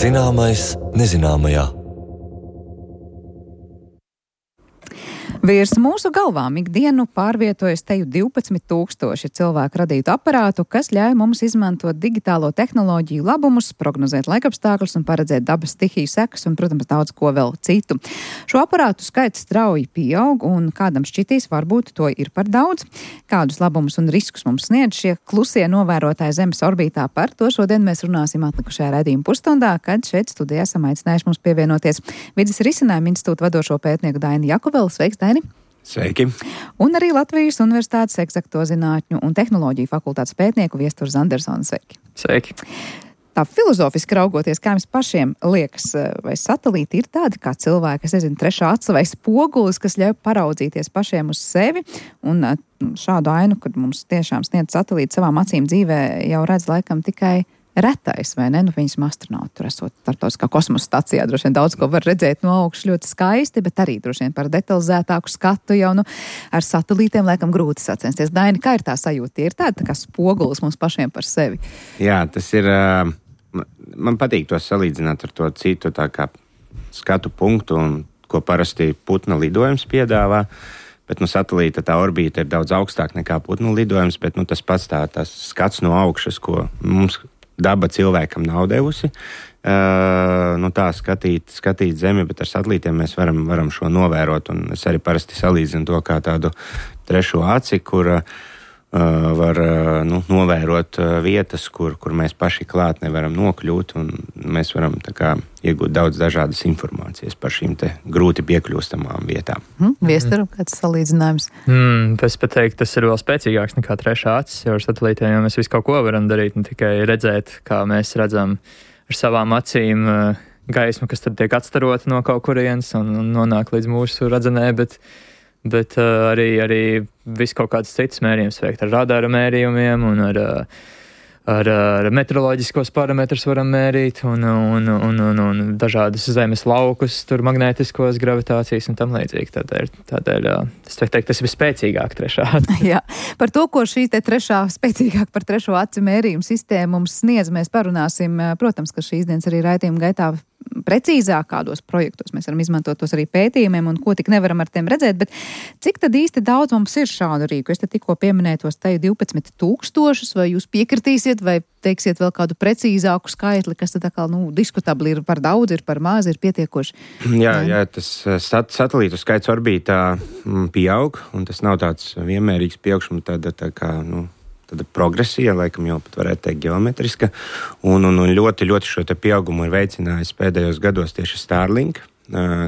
Zināmais nezināmajā. Virs mūsu galvām ikdienu pārvietojas teju 12,000 cilvēku radītu aparātu, kas ļauj mums izmantot digitālo tehnoloģiju labumus, prognozēt laikapstākļus un paredzēt dabas stihiju sekas un, protams, daudz ko vēl citu. Šo aparātu skaits strauji pieaug un kādam šķitīs, varbūt to ir par daudz. Kādus labumus un riskus mums sniedz šie klusie novērotāji Zemes orbītā, par to šodien mēs runāsim atlikušajā raidījuma pusstundā, kad šeit studijā esam aicinājuši mums pievienoties Vides risinājumu institūta vadošo pētnieku Daini Jakubeli. Sveiks, Daini! Sveiki! Un arī Latvijas Universitātes Eksakto zinātņu un tehnoloģiju fakultātes pētnieku Viesturu Zandersonu. Sveiki! Sveiki! Tā filozofiski raugoties, kā jums pašiem liekas, vai satelīti ir tādi kā cilvēki, es nezinu, trešā aca vai spogulis, kas ļauj paraudzīties pašiem uz sevi, un šādu ainu, kad mums tiešām sniedz satelīti savām acīm dzīvē, jau redz laikam tikai retais, vai ne? Nu, viņas astronauti tur esot starptautiskā kosmosa stacijā, droši vien daudz ko var redzēt no augšas ļoti skaisti, bet arī droši vien par detalizētāku skatu jau, ar satelītiem laikam grūti sacensties. Daini, kā ir tā sajūta? Ir tāda tā kā spogulis mums pašiem par sevi? Jā, tas ir, man patīk to salīdzināt ar to citu tā kā skatu punktu, un ko parasti putna lidojums piedāvā. Bet satelīta tā orbīta ir daudz augstāk nekā putnu lidojums, bet tas pats tas skats no augšas, ko mums daba cilvēkam nav devusi. Tā skatīt Zemi, bet ar satelītiem mēs varam šo novērot. Un es arī parasti salīdzinu to kā tādu trešo aci, kur var novērot vietas, kur mēs paši klāt nevaram nokļūt. Un mēs varam iegūt daudz dažādas informācijas par šīm te grūti piekļūstamām vietām. Viesturu, kāds salīdzinājums? Es pat teiktu, tas ir vēl spēcīgāks nekā trešā acis, jo ar satelītiem jau mēs visu kaut ko varam darīt, ne tikai redzēt, kā mēs redzam ar savām acīm gaismu, kas tad tiek atstarota no kaut kurienes un nonāk līdz mūsu redzenē, bet arī visu kaut kādas citas mērījumus veikt ar radara mērījumiem un ar meteoroloģiskos parametrus varam mērīt un dažādus zemes laukus, tur magnētiskos gravitācijas un tam līdzīgi. Tādēļ es teiktu, tas ir spēcīgāk trešā aci. Jā, par to, ko šī te spēcīgāk par trešo aci mērījumu sistēmu mums sniedz, mēs parunāsim, protams, ka šīs dienas arī raidījuma gaitā precīzāk, kādos projektos mēs varam izmantot tos arī pētījumiem un ko tik nevaram ar tiem redzēt, bet cik tad īsti daudz mums ir šādu rīku? Es te tikko pieminēju tos teju 12,000, vai jūs piekritīsiet, vai teiksiet vēl kādu precīzāku skaitli, kas tad diskutabli ir par daudz, ir par maz, ir pietiekoši? Jā, tas satelītu skaits orbītā pieaug, un tas nav tāds vienmērīgs pieaugšums, tāda progresija, laikam jau pat varētu teikt geometriska, un ļoti šo te pieaugumu ir veicinājis pēdējos gados tieši Starlink,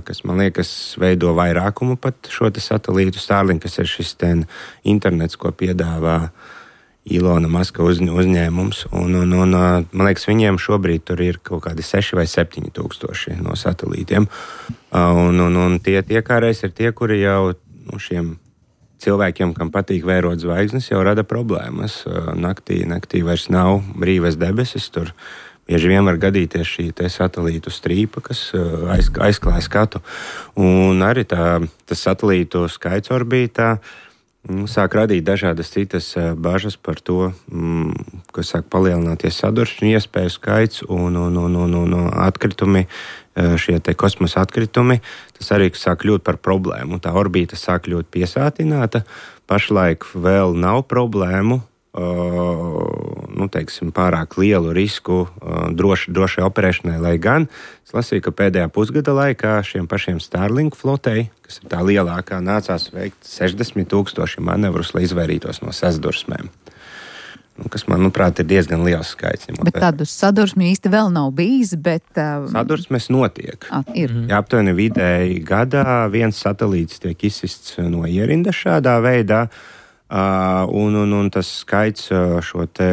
kas, man liekas, veido vairākumu pat šo te satelītu. Starlink, kas ir šis internets, ko piedāvā Ilona Maska uzņēmums, un man liekas, viņiem šobrīd tur ir kaut kādi 6 vai 7 tūkstoši no satelītiem, un tie kāreiz ir tie, kuri jau šiem cilvēkiem, kam patīk vērot zvaigznes, jau rada problēmas. Naktī vairs nav brīvas debesis, tur bieži vien var gadīties šī te satelītu strīpa, kas aizklāj skatu. Un arī tas satelītu skaits orbītā sāk radīt dažādas citas bažas par to, ka sāk palielināties sadursmju iespēju skaits un atkritumi, šie te kosmosa atkritumi, tas arī sāk kļūt par problēmu. Tā orbīta sāk kļūt piesātināta. Pašlaik vēl nav problēmu, pārāk lielu risku drošai operēšanai, lai gan es lasīju, ka pēdējā pusgada laikā šiem pašiem Starlink flotei, kas ir tā lielākā, nācās veikt 60,000 manevrus, lai izvairītos no sadursmēm. Kas, manuprāt, ir diezgan liels skaits. Bet tādu sadursmi īsti vēl nav bijis, bet... Sadursmes notiek. Ir. Jā, aptuveni vidēji gadā viens satelīts tiek izsists no ierinda šādā veidā, un tas skaits šo te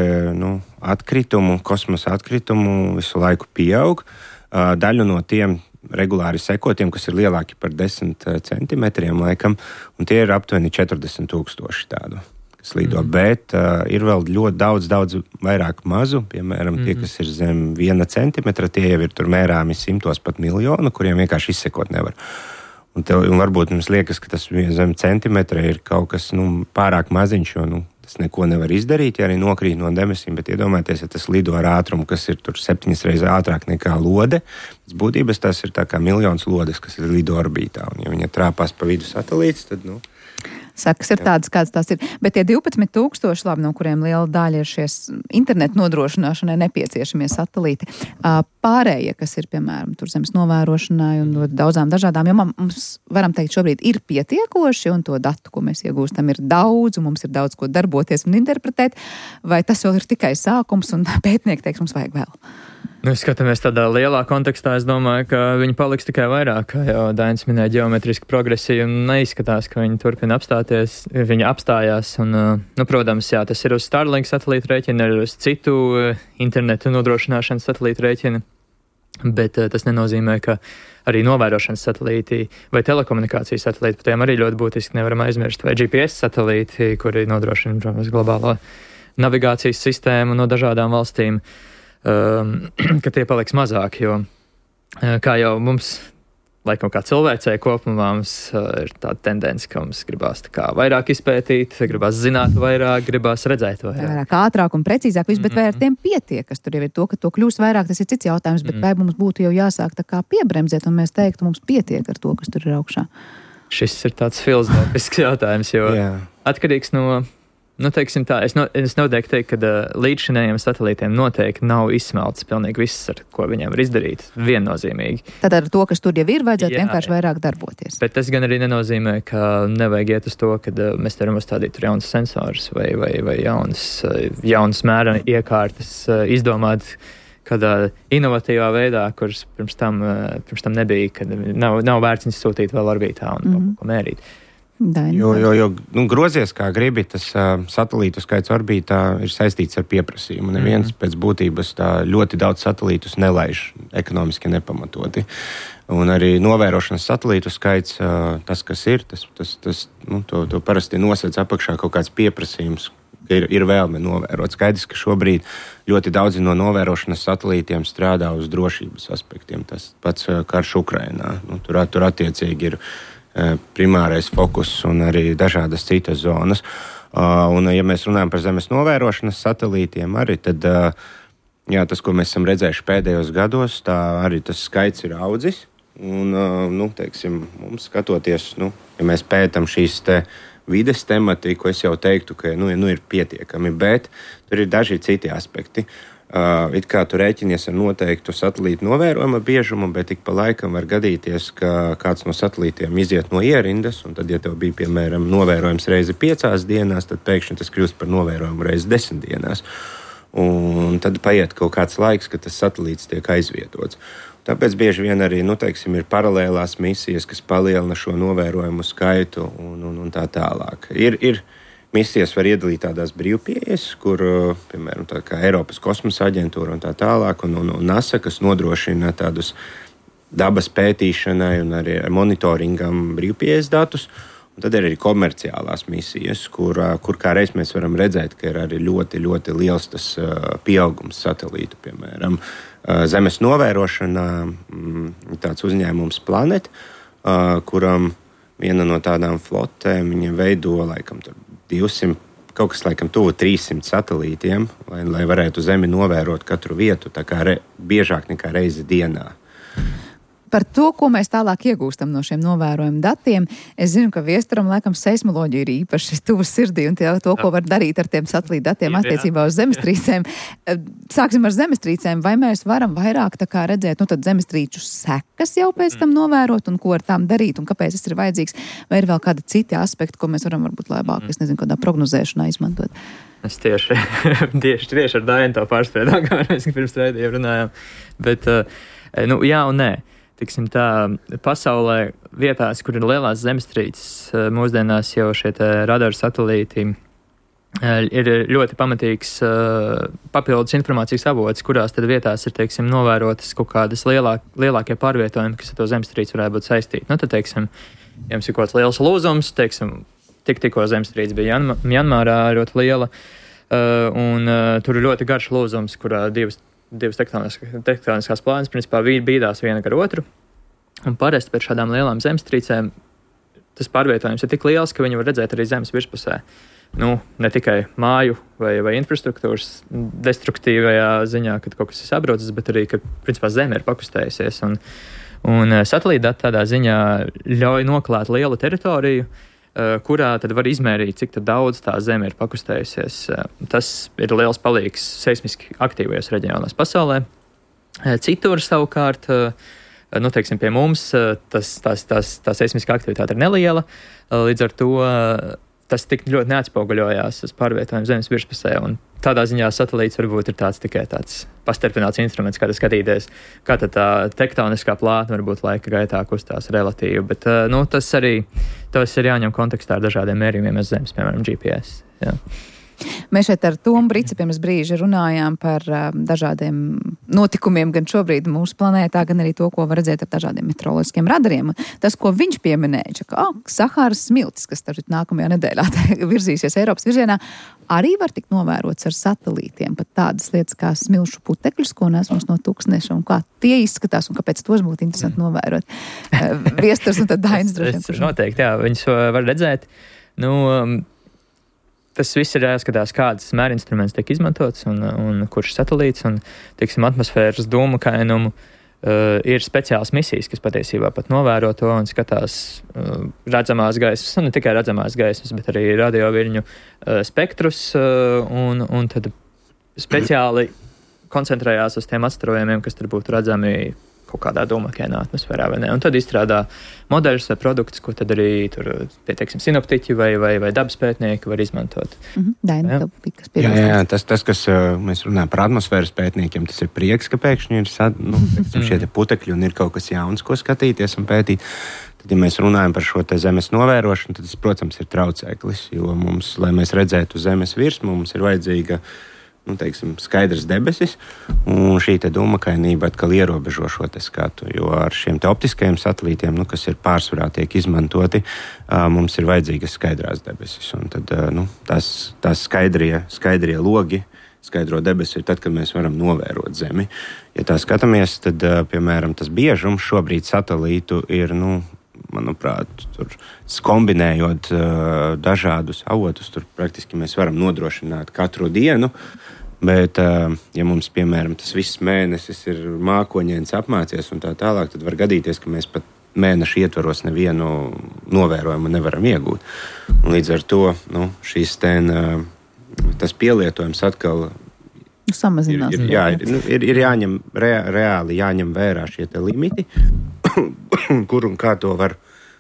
atkritumu, kosmosa atkritumu visu laiku pieaug. Daļu no tiem regulāri sekotiem, kas ir lielāki par 10 centimetriem laikam, un tie ir aptuveni 40,000 tādu. Lido, bet ir vēl ļoti daudz vairāk mazu, piemēram, tie, kas ir zem 1 centimetra, tie jau ir tur mērāmi 100 pat miljonu, kuriem vienkārši izsekot nevar. Un varbūt mums liekas, ka tas zem centimetra ir kaut kas pārāk maziņš, jo tas neko nevar izdarīt, ja arī nokrīt no debesīm, bet iedomājieties, ja tas lido ar ātrumu, kas ir tur 7 reizes ātrāk nekā lode, pēc būtības tas ir tā kā miljons lodes, kas ir lido orbītā, un ja viņa trāpās pa vidu satelīts, tad, Sakas ir tādas, kādas tās ir. Bet tie 12,000, labi, no kuriem liela daļa ir šies internetu nodrošināšanai nepieciešamie satelīti, pārējie, kas ir, piemēram, tur zemes novērošanai un daudzām dažādām jomām, mums, varam teikt, šobrīd ir pietiekoši, un to datu, ko mēs iegūstam, ir daudz, un mums ir daudz ko darboties un interpretēt, vai tas vēl ir tikai sākums, un pētnieki teiks, mums vajag vēl? Skatāmies tādā lielā kontekstā, es domāju, ka viņi paliks tikai vairāk, kā jau Dainis minēja, ģeometriski progresija, un neizskatās, ka viņi turpina apstāties, viņi apstājās, un, protams, jā, tas ir uz Starlink satelītu rēķina, ir uz citu internetu nodrošināšanas satelītu rēķina, bet tas nenozīmē, ka arī novērošanas satelīti vai telekomunikācijas satelīti, par tiem arī ļoti būtiski nevaram aizmirst, vai GPS satelīti, kuri nodrošina, protams, globālo navigācijas sistēmu no dažādām valstīm, ka tie paliks mazāk, jo, kā jau mums, laikam kā cilvēcei kopumā, mums ir tāda tendence, ka mums gribās tā kā vairāk izpētīt, gribās zināt vairāk, gribās redzēt vairāk. Ātrāk un precīzāk viss, bet vai ar tiem pietiek, kas tur jau ir to, ka to kļūst vairāk, tas ir cits jautājums, bet vai mums būtu jau jāsāk tā kā piebremzēt, un mēs teiktu, mums pietiek ar to, kas tur ir augšā? Šis ir tāds filozofisks jautājums, jo atkarīgs no... teiksim tā, es noteikti teiktu, ka līdzšinējiem satelītiem noteikti nav izsmelts pilnīgi viss, ar ko viņiem var izdarīt, viennozīmīgi. Tad ar to, kas tur jau ir, vajadzētu vienkārši vairāk darboties. Bet tas gan arī nenozīmē, ka nevajag iet uz to, ka mēs varam uzstādīt jaunas sensors vai jaunas mēra iekārtas, izdomāt kādā inovatīvā veidā, kuras pirms tam nebija, kad nav vērts viņus sūtīt vēl orbītā un kaut ko mērīt. Jo grozies kā gribi, tas satelītu skaits orbītā ir saistīts ar pieprasījumu. Neviens pēc būtības tā ļoti daudz satelītus nelaiž ekonomiski nepamatoti. Un arī novērošanas satelītu skaits, tas, kas ir, to parasti nosēdz apakšā kaut kāds pieprasījums, ka ir vēlme novērot. Skaidrs, ka šobrīd ļoti daudzi no novērošanas satelītiem strādā uz drošības aspektiem. Tas pats karš Ukrainā. Tur attiecīgi ir primārais fokus un arī dažādas citas zonas. Un, ja mēs runājam par zemes novērošanas satelītiem, arī tad, tas, ko mēs esam redzējuši pēdējos gados, tā arī tas skaits ir audzis. Un, teiksim, mums skatoties, ja mēs pētam šīs vides tematiku, es jau teiktu, ka ir pietiekami, bet tur ir daži citi aspekti. It kā tu rēķinies ar noteiktu satelītu novērojuma biežumu, bet ik pa laikam var gadīties, ka kāds no satelītiem iziet no ierindas, un tad, ja tev bija, piemēram, novērojums reizi 5 dienās, tad pēkšņi tas kļūst par novērojumu reizi 10 dienās. Un tad paiet kaut kāds laiks, kad tas satelīts tiek aizvietots. Tāpēc bieži vien arī, ir paralēlās misijas, kas palielina šo novērojumu skaitu un tā tālāk. Ir misijas var iedalīt tādās brīvpieejas, kur, piemēram, tā kā Eiropas kosmosa aģentūra un tā tālāk, un NASA, kas nodrošina tādus dabas pētīšanai un arī monitoringam brīvpieejas datus. Un tad ir arī komerciālās misijas, kur kā reiz mēs varam redzēt, ka ir arī ļoti, ļoti liels tas pieaugums satelītu, piemēram, zemes novērošanā, tāds uzņēmums Planet, kuram viena no tādām flotēm, viņa veido laikam 200, kaut kas laikam tuvu 300 satelītiem, lai varētu Zemi novērot katru vietu, tā kā biežāk nekā reizi dienā. Par to, ko mēs tālāk iegūstam no šiem novērojumu datiem, es zinu, ka Viestaram laikam seismoloģija ir īpaši tuvu sirdī un to, ko var darīt ar tiem satelītu datiem attiecībā uz zemestrīcēm. Sāksim ar zemestrīcēm. Vai mēs varam vairāk tā kā redzēt, tad zemestrīču sekas jau pēc tam novērot un ko ar tām darīt un kāpēc tas ir vajadzīgs? Vai ir vēl kādi citi aspekti, ko mēs varam varbūt labāk, es nezinu, kādā prognozēšanā izmantot? Es tieši ar Dainu to pārspēdām, kā mēs pirms raidījuma runājām. Bet, jā un nē. Tiksim tā, pasaulē vietās, kur ir lielās zemestrīces, mūsdienās jau šie radaru satelīti ir ļoti pamatīgs papildus informācijas avots, kurās tad vietās ir, teiksim, novērotas kaut kādas lielākie pārvietojumi, kas ar to zemestrīci varētu būt saistīti. Tad, teiksim, ja mums ir kaut kāds liels lūzums, teiksim, tikko zemestrīce bija Mjanmārā ļoti liela, un tur ir ļoti garš lūzums, kurā divas tektoniskās plānas principā bīdās viena ar otru. Un parasti pēc šādām lielām zemestrīcēm tas pārvietojums ir tik liels, ka viņi var redzēt arī zemes virspusē. ne tikai māju vai infrastruktūras destruktīvajā ziņā, kad kaut kas ir sabrucis, bet arī, ka principā Zeme ir pakustējusies. Un satelīta dati tādā ziņā ļauj noklāt lielu teritoriju, kurā tad var izmērīt, cik daudz tā Zeme ir pakustējusies. Tas ir liels palīgs seismiski aktīvajos reģionos pasaulē. Citur savukārt, teiksim, pie mums tā seismiskā aktivitāte ir neliela, līdz ar to tas tik ļoti neatspoguļojās uz pārvietojumu Zemes virspusē. Un tādā ziņā satelīts varbūt ir tikai tāds pastarpināts instruments, kā skatīties, kā tā tektoniskā plātne varbūt laika gaitā kustās relatīvi. Bet tas ir jāņem kontekstā ar dažādiem mērījumiem uz Zemes, piemēram, GPS. Jā. Mēs šeit ar Tomu Brici pirms brīža runājām par dažādiem notikumiem gan šobrīd mūsu planētā, gan arī to, ko var redzēt ar dažādiem meteoroloģiskiem radariem. Tas, ko viņš pieminēja, ka Sahāras smiltis, kas nākamajā nedēļā virzīsies Eiropas virzienā, arī var tikt novērots ar satelītiem. Pat tādas lietas kā smilšu putekļus, ko nes mums no tūkstneša, un kā tie izskatās, un kāpēc tos būtu interesanti novērot. Viesturs un tad Dainis droši vien. Noteikti, jā, viņus var redzēt. Tas viss ir jāskatās, kādas mērinstruments tiek izmantots un kurš satelīts. Un, teiksim, atmosfēras dūmu kainumu ir speciāls misijas, kas patiesībā pat novēro to un skatās redzamās gaismas, un ne tikai redzamās gaismas, bet arī radioviļņu spektrus, un tad speciāli koncentrējās uz tiem atstarojumiem, kas tur būtu redzami kaut kādā dūmakainā atmosfērā, vai ne? Un tad izstrādā modeļus vai produktus, ko tad arī tur, teiksim, sinoptiķi vai dabas pētnieki var izmantot. Daina, jā, tas, kas mēs runājam par atmosfēras pētniekiem, tas ir prieks, ka pēkšņi ir šie te putekļi un ir kaut kas jauns, ko skatīties un pētīt. Tad, ja mēs runājam par šo te Zemes novērošanu, tad tas, protams, ir traucēklis, jo mums, lai mēs redzētu Zemes virsmu, mums ir vajadzīga skaidrs debesis, un šī te dūmakainība atkal ierobežo šo te skatu, jo ar šiem te optiskajiem satelītiem, kas ir pārsvarā tiek izmantoti, mums ir vajadzīgas skaidrās debesis, un tad tās skaidrie logi, skaidro debesu ir tad, kad mēs varam novērot Zemi. Ja tā skatāmies, tad, piemēram, tas biežums šobrīd satelītu ir, manuprāt, tur kombinējot dažādus avotus, tur praktiski mēs varam nodrošināt katru dienu, bet, ja mums, piemēram, tas viss mēnesis ir mākoņiens apmācies un tā tālāk, tad var gadīties, ka mēs pat mēneša ietvaros nevienu novērojumu nevaram iegūt. Un līdz ar to, tas pielietojums atkal samazinās. Ir jāņem, reāli jāņem vērā šie te limiti, kur un kā to var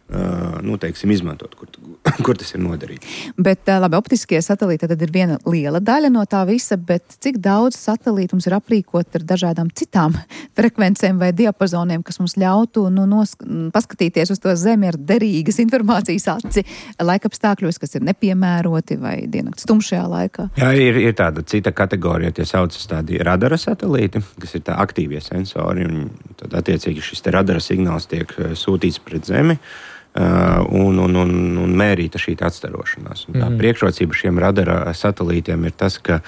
izmantot, kur tas ir noderīgs. Bet labi, optiskie satelīti tad ir viena liela daļa no tā visa, bet cik daudz satelītu mums ir aprīkot ar dažādām citām frekvencēm vai diapazoniem, kas mums ļautu paskatīties uz to Zemi ar derīgas informācijas aci laikapstākļos, kas ir nepiemēroti vai diennakts tumšajā laikā? Jā, ir tāda cita kategorija, tie saucas tādi radara satelīti, kas ir tā aktīvie sensori, un tad attiecīgi šis te radara signāls tiek sūtīts pret Zemi, un mērīta šī atstarošanās. Tā priekšrocība šiem radara satelītiem ir tas, ka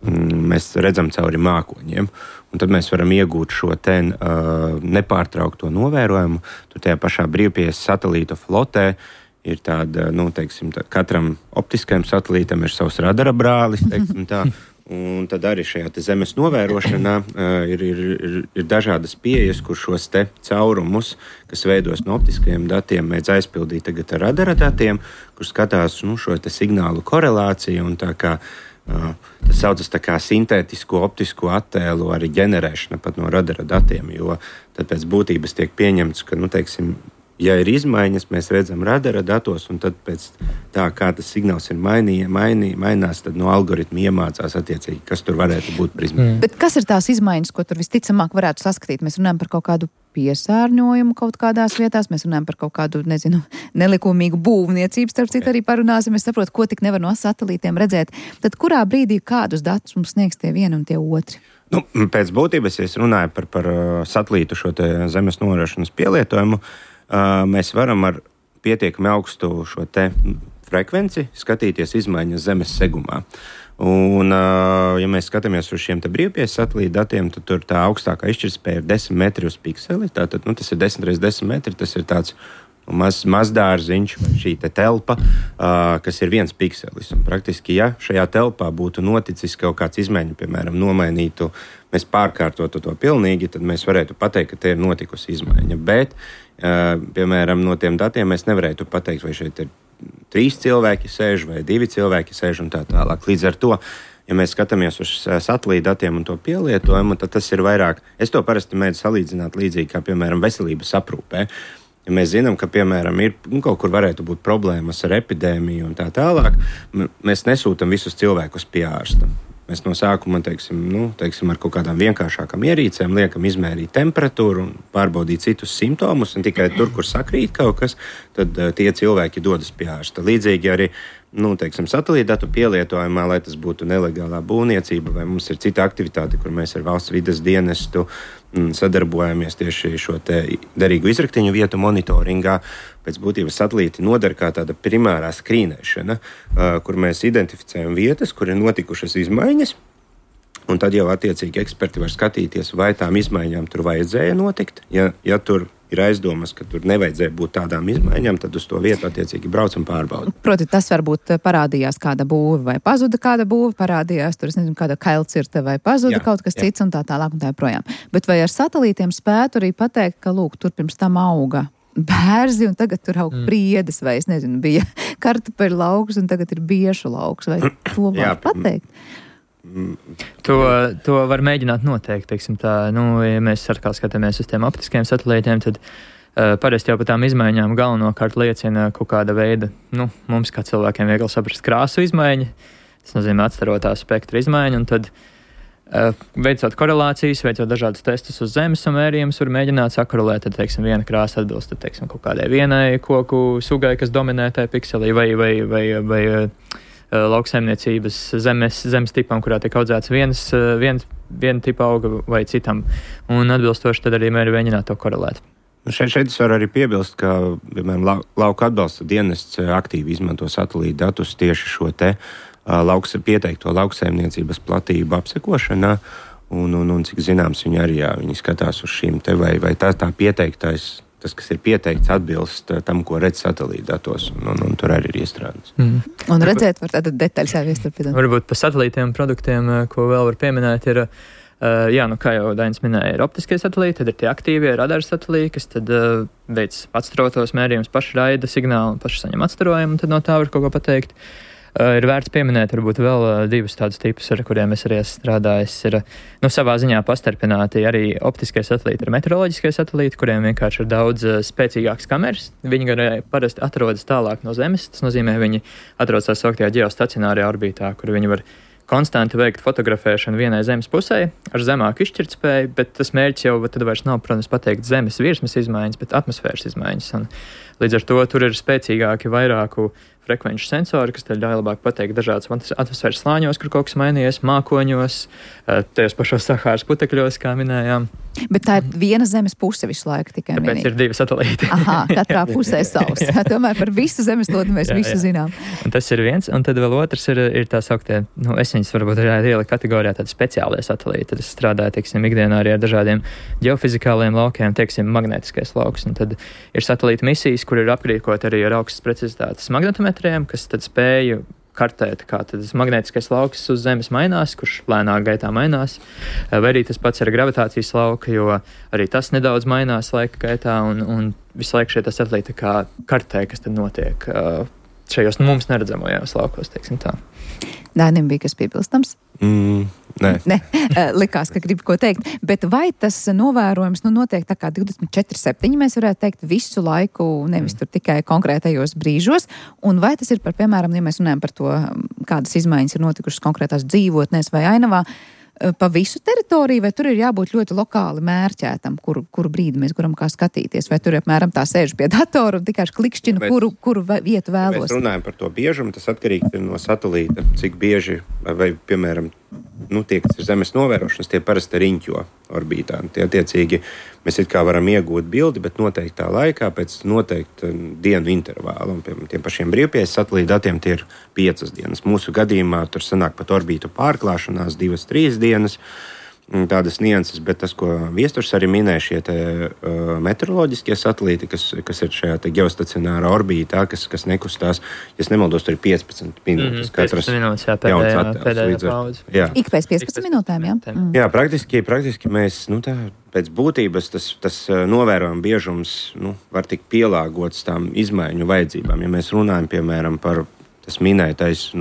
mēs redzam cauri mākoņiem, un tad mēs varam iegūt šo te nepārtraukto novērojumu. Tur tajā pašā brīvpieejas satelīta flotē ir tāda, katram optiskajam satelītam ir savs radara brālis, teiksim tā. Un tad arī šajā Zemes novērošanā ir dažādas pieejas, kur šos te caurumus, kas veidos no optiskajiem datiem, mēdz aizpildīt tagad ar radara datiem, kur skatās šo te signālu korelāciju un tā kā tas saucas tā kā sintētisko optisko attēlu arī ģenerēšana pat no radara datiem, jo tad pēc būtības tiek pieņemts, ka, ja ir izmaiņas, mēs redzam radara datos, un tad pēc tā, kā tas signāls ir mainās, tad no algoritmi iemācās attiecīgi, kas tur varētu būt par izmaiņām. Bet kas ir tās izmaiņas, ko tur visticamāk varētu saskatīt? Mēs runājam par kaut kādu piesārņojumu kaut kādās vietās, mēs runājam par kaut kādu, nelikumīgu būvniecību, starp citu arī parunāsim, es saprotu, ko tik nevar no satelītiem redzēt. Tad kurā brīdī kādus datus mums sniegs tie vieni un tie otri? Pēc būtības, ja es runāju par satelītu šo te Zemes novērošanas pielietojumu, mēs varam ar pietiekami augstu šo te frekvenci skatīties izmaiņas Zemes segumā. Un, ja mēs skatāmies uz šiem te brīvpieejas satelīta datiem, tad tur tā augstākā izšķirtspēja ir 10 metri uz pikseli. Tātad, tas ir 10 x 10 metri, tas ir tāds mazdārziņš vai šī telpa, kas ir 1 pikselis. Un praktiski, ja šajā telpā būtu noticis kaut kāds izmaiņa, piemēram, nomainītu, mēs pārkārtotu to pilnīgi, tad mēs varētu pateikt, ka te ir notikusi izmaiņa. Bet, piemēram, no tiem datiem mēs nevarētu pateikt, vai šeit ir 3 cilvēki sēž vai 2 cilvēki sēž un tā tālāk. Līdz ar to, ja mēs skatāmies uz satelīta datiem un to pielietojumu, tad tas ir vairāk. Es to parasti mēģinu salīdzināt līdzīgi kā, piemēram, veselības aprūpē. Ja mēs zinām, ka, piemēram, ir kaut kur varētu būt problēmas ar epidēmiju un tā tālāk, mēs nesūtam visus cilvēkus pie ārsta. Mēs no sākuma, teiksim, ar kaut kādām vienkāršākām ierīcēm liekam izmērīt temperatūru un pārbaudīt citus simptomus, un tikai tur, kur sakrīt kaut kas, tad tie cilvēki dodas pie ārsta. Līdzīgi arī satelīta datu pielietojumā, lai tas būtu nelegālā būvniecība, vai mums ir cita aktivitāte, kur mēs ar valsts vides dienestu sadarbojamies tieši šo te derīgu izraktiņu vietu monitoringā. Pēc būtības satelīti noder kā tāda primārā skrīnēšana, kur mēs identificējam vietas, kur ir notikušas izmaiņas, un tad jau attiecīgi eksperti var skatīties, vai tām izmaiņām tur vajadzēja notikt. Ja tur ir aizdomas, ka tur nevajadzēja būt tādām izmaiņām, tad uz to vietu attiecīgi brauc un pārbauda. Proti, tas varbūt parādījās kāda būve vai pazuda kāda būve, parādījās tur, kāda kailcirte vai pazuda kaut kas cits un tā tālāk un tā projām. Bet vai ar satelītiem spētu arī pateikt, ka, lūk, tur pirms tam auga bērzi un tagad tur aug priedes vai, bija kartupeļu lauks un tagad ir biešu lauks, vai to var pateikt? To var mēģināt noteikt, teiksim tā. Ja mēs skatāmies uz tiem optiskiem satelītiem, tad parasti jau par tām izmaiņām galvenokārt liecina kaut kāda veida, mums kā cilvēkiem viegli saprast krāsu izmaiņa, tas nozīmē atstarotā spektra izmaiņa, un tad veicot korelācijas, veicot dažādus testus uz zemes un mērījumus, var mēģināt sakorelēt, tad, teiksim, viena krāsa atbilst, tad, teiksim, kaut kādai vienai koku sugai, kas dominē tajā pikselī, vai lauksaimniecības zemes tipam, kurā tiek audzēts viena tipa auga vai citam, un atbilstoši tad arī mēģināt to korelēt. Šeit es varu arī piebilst, ka, piemēram, lauka atbalsta dienests aktīvi izmanto satelīta datus tieši šo te pieteikto lauksaimniecības platību apsekošanā, un cik zināms, viņi skatās uz šīm te, vai tā pieteiktais, tas, kas ir pieteikts, atbilst tam, ko redz satelīta datos, un tur arī ir iestrādāts. Un redzēt var tātad detaļas jāviesturpināt. Varbūt par satelītiem produktiem, ko vēl var pieminēt, ir, kā jau Dainis minēja, ir optiskie satelīti, tad ir tie aktīvie radara satelīti, kas tad veic atstarotos mērījumus, paši raida signālu un paši saņem atstarojumu, un tad no tā var kaut ko pateikt. Ir vērts pieminēt varbūt vēl 2 tādus tipus, ar kuriem es arī esmu strādājis. Ir savā ziņā pastarpināti arī optiskie satelīti ar meteoroloģiskie satelīti, kuriem vienkārši ir daudz spēcīgākas kameras. Viņi parasti atrodas tālāk no Zemes, tas nozīmē, viņi atrodas tā sauktajā ģeostacionārajā orbītā, kur viņi var konstanti veikt fotografēšanu vienai Zemes pusē ar zemāku izšķirtspēju, bet tas mērķis jau tad vairs nav, protams, pateikt Zemes virsmas izmaiņas, bet atmosfēras izmaiņas. Un līdz ar to tur ir spēcīgāki vairāku frekvenču sensori, kas ļauj labāk pateikt dažādas atmosfēras slāņos, kur kaut kas mainījies, mākoņos, tajos pašos Sahāras putekļos, kā minējām. Bet tā ir viena Zemes puse visu laiku tikai minīt. Tāpēc ir 2 satelīti. Aha, katrā pusē savs. Tomēr par visu zemeslodi mēs visu zinām. Un tas ir viens, un tad vēl otrs ir tā sauktie, es viņus varbūt arī ieliku kategorijā tādi speciālie satelīti. Tad es strādāju, teiksim, ikdienā arī ar dažādiem ģeofizikāliem laukiem, teiksim, magnētiskais lauks. Un tad ir satelīta misijas, kur ir aprīkot arī ar augstas precizitātes magnetometriem, kas tad spēju kartēt, kā tas magnētiskais lauks uz Zemes mainās, kurš lēnāk gaitā mainās, vai arī tas pats ar gravitācijas lauku, jo arī tas nedaudz mainās laika gaitā, un visu laiku šie satelīti kā kartē, kas tad notiek šajos mums neredzamajos laukos, teiksim tā. Dainim bija kas piebilstams? Nē. Likās, ka gribu ko teikt. Bet vai tas novērojums notiek tā kā 24/7, mēs varētu teikt, visu laiku, nevis tur tikai konkrētajos brīžos? Un vai tas ir par, piemēram, ja mēs runājam par to, kādas izmaiņas ir notikušas konkrētās dzīvotnēs vai ainavā, pa visu teritoriju, vai tur ir jābūt ļoti lokāli mērķētam, kuru brīdi mēs gribam kā skatīties, vai tur apmēram tā sēž pie datora un tikai klikšķina, kuru vietu vēlos? Mēs runājam par to biežumu, tas atkarīgs ir no satelīta, cik bieži, vai, piemēram, tie, kas ir Zemes novērošanas, tie parasti riņķo orbītā. Tie attiecīgi mēs it kā varam iegūt bildi, bet noteiktā laikā pēc noteikta dienu intervāla. Un, piemēram, tiem pašiem brīvpieejas satelīta datiem tie ir 5 dienas. Mūsu gadījumā tur sanāk pat orbītu pārklāšanās 2-3 dienas. tādas nianses, bet tas, ko Viesturs arī minēja, šie meteoroloģiskie satelīti, kas ir šajā geostacionārā orbītā, kas nekustās, ja nemaldos, tur ir 15 minūtes. 15 minūtes, jā, pēdējā paudze. Ik pēc 15 minūtēm, jā? Jā, praktiski mēs, pēc būtības tas novērojuma biežums, var tikt pielāgots tām izmaiņu vajadzībām. Ja mēs runājam, piemēram, par tas minētais,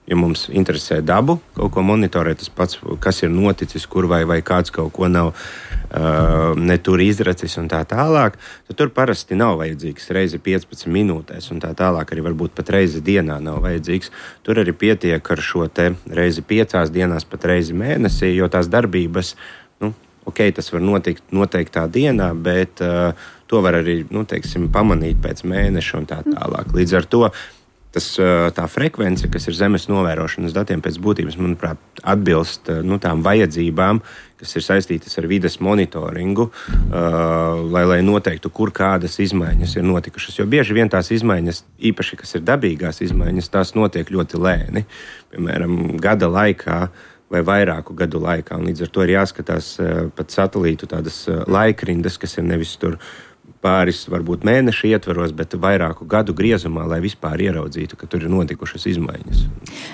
ja mums interesē dabu, kaut ko monitorēt, tas pats, kas ir noticis, kur vai kāds kaut ko nav netur izracis un tā tālāk, tad tur parasti nav vajadzīgs reizi 15 minūtēs un tā tālāk arī varbūt pat reizi dienā nav vajadzīgs. Tur arī pietiek ar šo te reizi 5 dienās, pat reizi mēnesī, jo tās darbības, tas var notikt noteiktā dienā, bet to var arī, pamanīt pēc mēneša un tā tālāk. Līdz ar to tā frekvence, kas ir Zemes novērošanas datiem pēc būtības, manuprāt, atbilst tām vajadzībām, kas ir saistītas ar vides monitoringu, lai noteiktu, kur kādas izmaiņas ir notikušas. Jo bieži vien tās izmaiņas, īpaši, kas ir dabīgās izmaiņas, tās notiek ļoti lēni. Piemēram, gada laikā vai vairāku gadu laikā. Un līdz ar to ir jāskatās pat satelītu tādas laikrindas, kas ir nevis tur pāris, varbūt mēnešu ietvaros, bet vairāku gadu griezumā, lai vispār ieraudzītu, ka tur ir notikušas izmaiņas.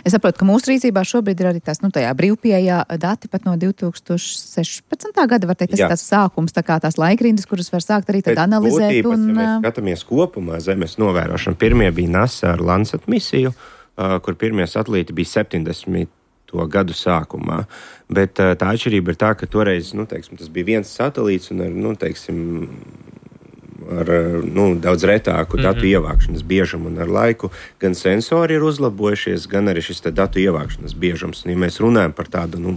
Es saprotu, ka mūsu rīcībā šobrīd ir arī tās, tajā brīvpieejā dati pat no 2016. gada, var teikt, tas ir tās sākums, tā kā tās laikrindas, kuras var sākt arī tad analizēt. Ja mēs skatāmies kopumā Zemes novērošanu, pirmie bija NASA ar Landsat misiju, kur pirmie satelīti bija 70. gadu sākumā. Bet tā atšķirība ir tā, ka toreiz, tas bija viens satelīts un ar daudz retāku datu ievākšanas biežumu un ar laiku gan sensori ir uzlabojušies, gan arī šis datu ievākšanas biežums. Un, ja mēs runājam par tādu,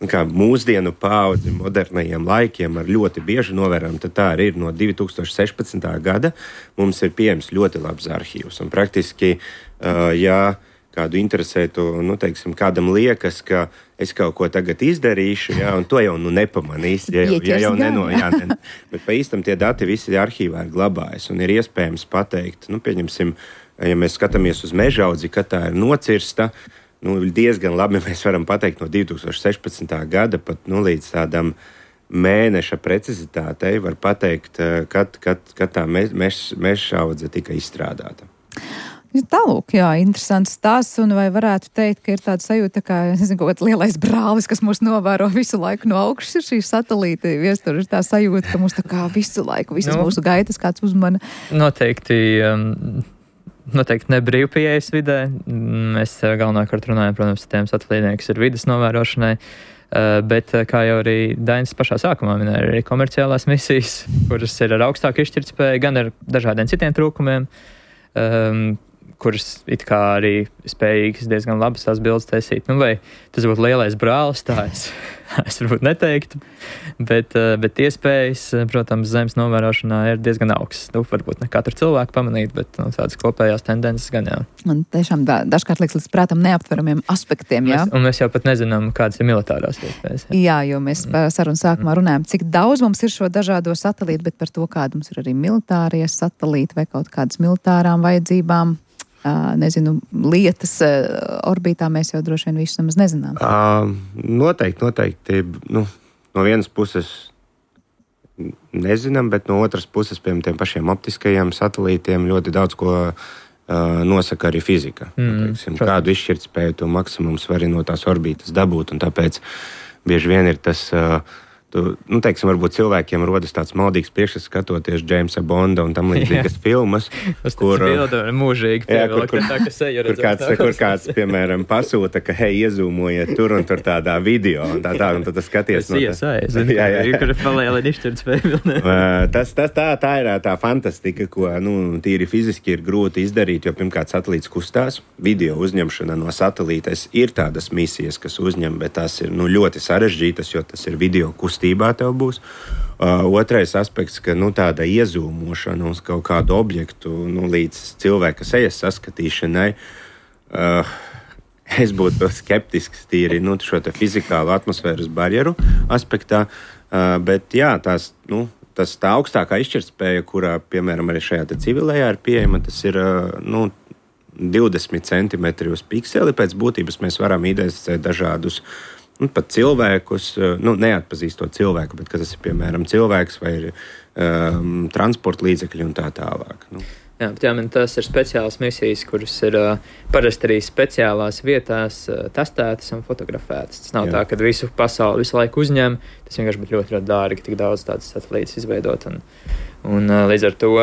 kā mūsdienu paudzi modernajiem laikiem ar ļoti bieži novērojumu, tad tā arī ir no 2016. gada. Mums ir pieejams ļoti labs arhīvs. Un praktiski, ja kādu interesētu, kādam liekas, ka es kaut ko tagad izdarīšu, un to jau nepamanīs. Bet pa īstam tie dati visi arhīvā ir glabājas un ir iespējams pateikt, pieņemsim, ja mēs skatāmies uz mežaudzi, kad tā ir nocirsta, diezgan labi mēs varam pateikt no 2016. gada pat līdz tādam mēneša precizitātei var pateikt, kad tā mežaudze tika izstrādāta. Tālūk, interesants stāsts, un vai varētu teikt, ka ir tāda sajūta, kā, kaut kāds lielais brālis, kas mūs novēro visu laiku no augšas, ir šī satelīti, Viestur, ir tā sajūta, ka mūs tā kā visu laiku, visas mūsu gaitas kāds uzmana. Noteikti ne brīvpieejas vidē. Mēs galvenokārt runājam, protams, tiem satelītiem, kas ir vides novērošanai, bet, kā jau arī Dainis pašā sākumā minēja, arī komerciālās misijas, kuras ir ar augstāku izšķirtspēju, gan ar dažādiem citiem trūkumiem, kuras it kā arī spējīgas diezgan labas tās bildes taisīt. Vai tas būtu lielais brālis, tā es varbūt neteiktu, bet iespējas, protams, Zemes novērošanā ir diezgan augstas. Varbūt ne katru cilvēku pamanīt, bet tādas kopējās tendences gan jā. Un tiešām dažkārt liekas līdz prātam neaptveramiem aspektiem, jā? Un mēs jau pat nezinām, kādas ir militārās iespējas. Jā, jo mēs sarunas sākumā runājam, cik daudz mums ir šo dažādo satelītu, bet par to, kāda mums ir arī militārie satelīti vai kaut kādas militārām vajadzībām. Lietas orbītā mēs jau droši vien visu nemaz nezinām. Noteikti. No vienas puses nezinām, bet no otras puses, piemēram, tiem pašiem optiskajiem satelītiem ļoti daudz ko nosaka arī fizika. Kādu izšķirtspēju to maksimums var arī no tās orbītas dabūt, un tāpēc bieži vien ir tas... varbūt cilvēkiem rodas tāds maldīgs priekšstats skatoties Jamesa Bonda un tam līdzīgas filmas, kur kāds, piemēram, pasūta, ka iezūmojiet tur un tur tādā video, un tā, un tad skaties. Tā ir tā fantastika, ko, tīri fiziski ir grūti izdarīt, jo pirmkārt satelīts kustās, video uzņemšana no satelītes ir tādas misijas, kas uzņem, bet tās ir, ļoti sarežģītas, jo tas ir video kustībā tev būs. Otrais aspekts, ka tāda iezūmošana uz kaut kādu objektu, līdz cilvēka sejas saskatīšanai, es būtu skeptisks tīri šo te fizikālu atmosfēras barjeru aspektā, bet jā, tā augstākā izšķirtspēja, kurā, piemēram, arī šajā te civilējā ir pieejama, tas ir 20 centimetri uz pikseli. Pēc būtības mēs varam identificēt dažādus pat cilvēkus, neatpazīstot cilvēku, bet tas ir, piemēram, cilvēks vai ir transporta līdzekļi un tā tālāk. Jā, bet tas ir speciālas misijas, kuras ir parasti arī speciālās vietās testētas un fotografētas. Tas nav tā, ka visu pasauli visu laiku uzņem. Tas vienkārši būtu ļoti, ļoti dārgi, tik daudz tādas satelītas izveidot. Un līdz ar to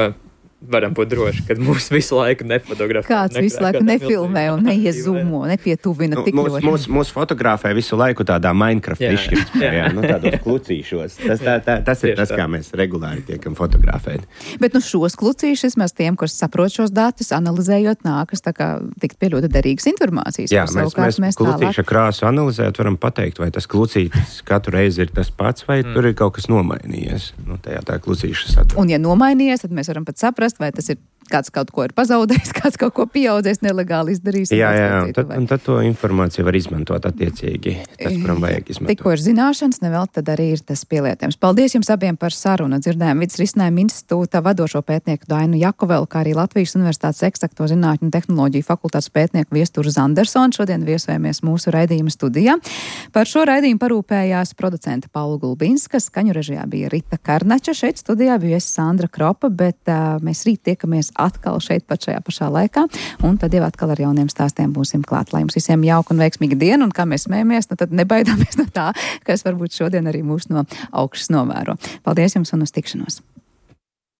varam būt droši, ka mūs visu laiku nefotografē. Kāds visu laiku nefilmē un neiezumo, nepietuvina tik ļoti. Mūs fotografē visu laiku tādā Minecraft izšķirtspējā, tādos klucīšos. Tas ir tas, kā mēs regulāri tiekam fotografēti. Bet šos klucīšus mēs tiem, kas saprot šos datus, analizējot, nākas tā kā tikt pie ļoti derīgas informācijas. Jā, mēs klucīša krāsu analizējot varam pateikt, vai tas klucītis katru reizi ir tas pats, vai tur ir kaut kas nomainījies. Tajā tā klucīša satura. Un ja nomainījies, tad mēs varam pat saprast, vai tas ir kāds kaut ko ir pazaudējis, kāds kaut ko pieaudzējis, nelegāli izdarījis. Jā, un tad to informāciju var izmantot attiecīgi. Tas, kuram vajag izmantot. Tikko ir zināšanas, nevēl tad arī ir tas pielietojums. Paldies jums abiem par sarunu. Dzirdējām Vides risinājumu institūta vadošo pētnieku Dainu Jakovelu, kā arī Latvijas Universitātes eksakto zinātņu un tehnoloģiju fakultātes pētnieku Viesturu Zandersonu. Šodien viesojamies mūsu raidījuma studijā. Par šo raidījumu parūpējās producente Paula Gulbinska, skaņu režijā bija Rita Karnača, šeit studijā bija Sandra Kropa, bet mēs rīt tiekamies atkal šeit pat šajā pašā laikā, un tad jau atkal ar jauniem stāstiem būsim klāt. Lai jums visiem jauka un veiksmīga diena, un kā mēs smējamies, tad nebaidāmies no tā, kas varbūt šodien arī mūs no augšas novēro. Paldies jums un uz tikšanos!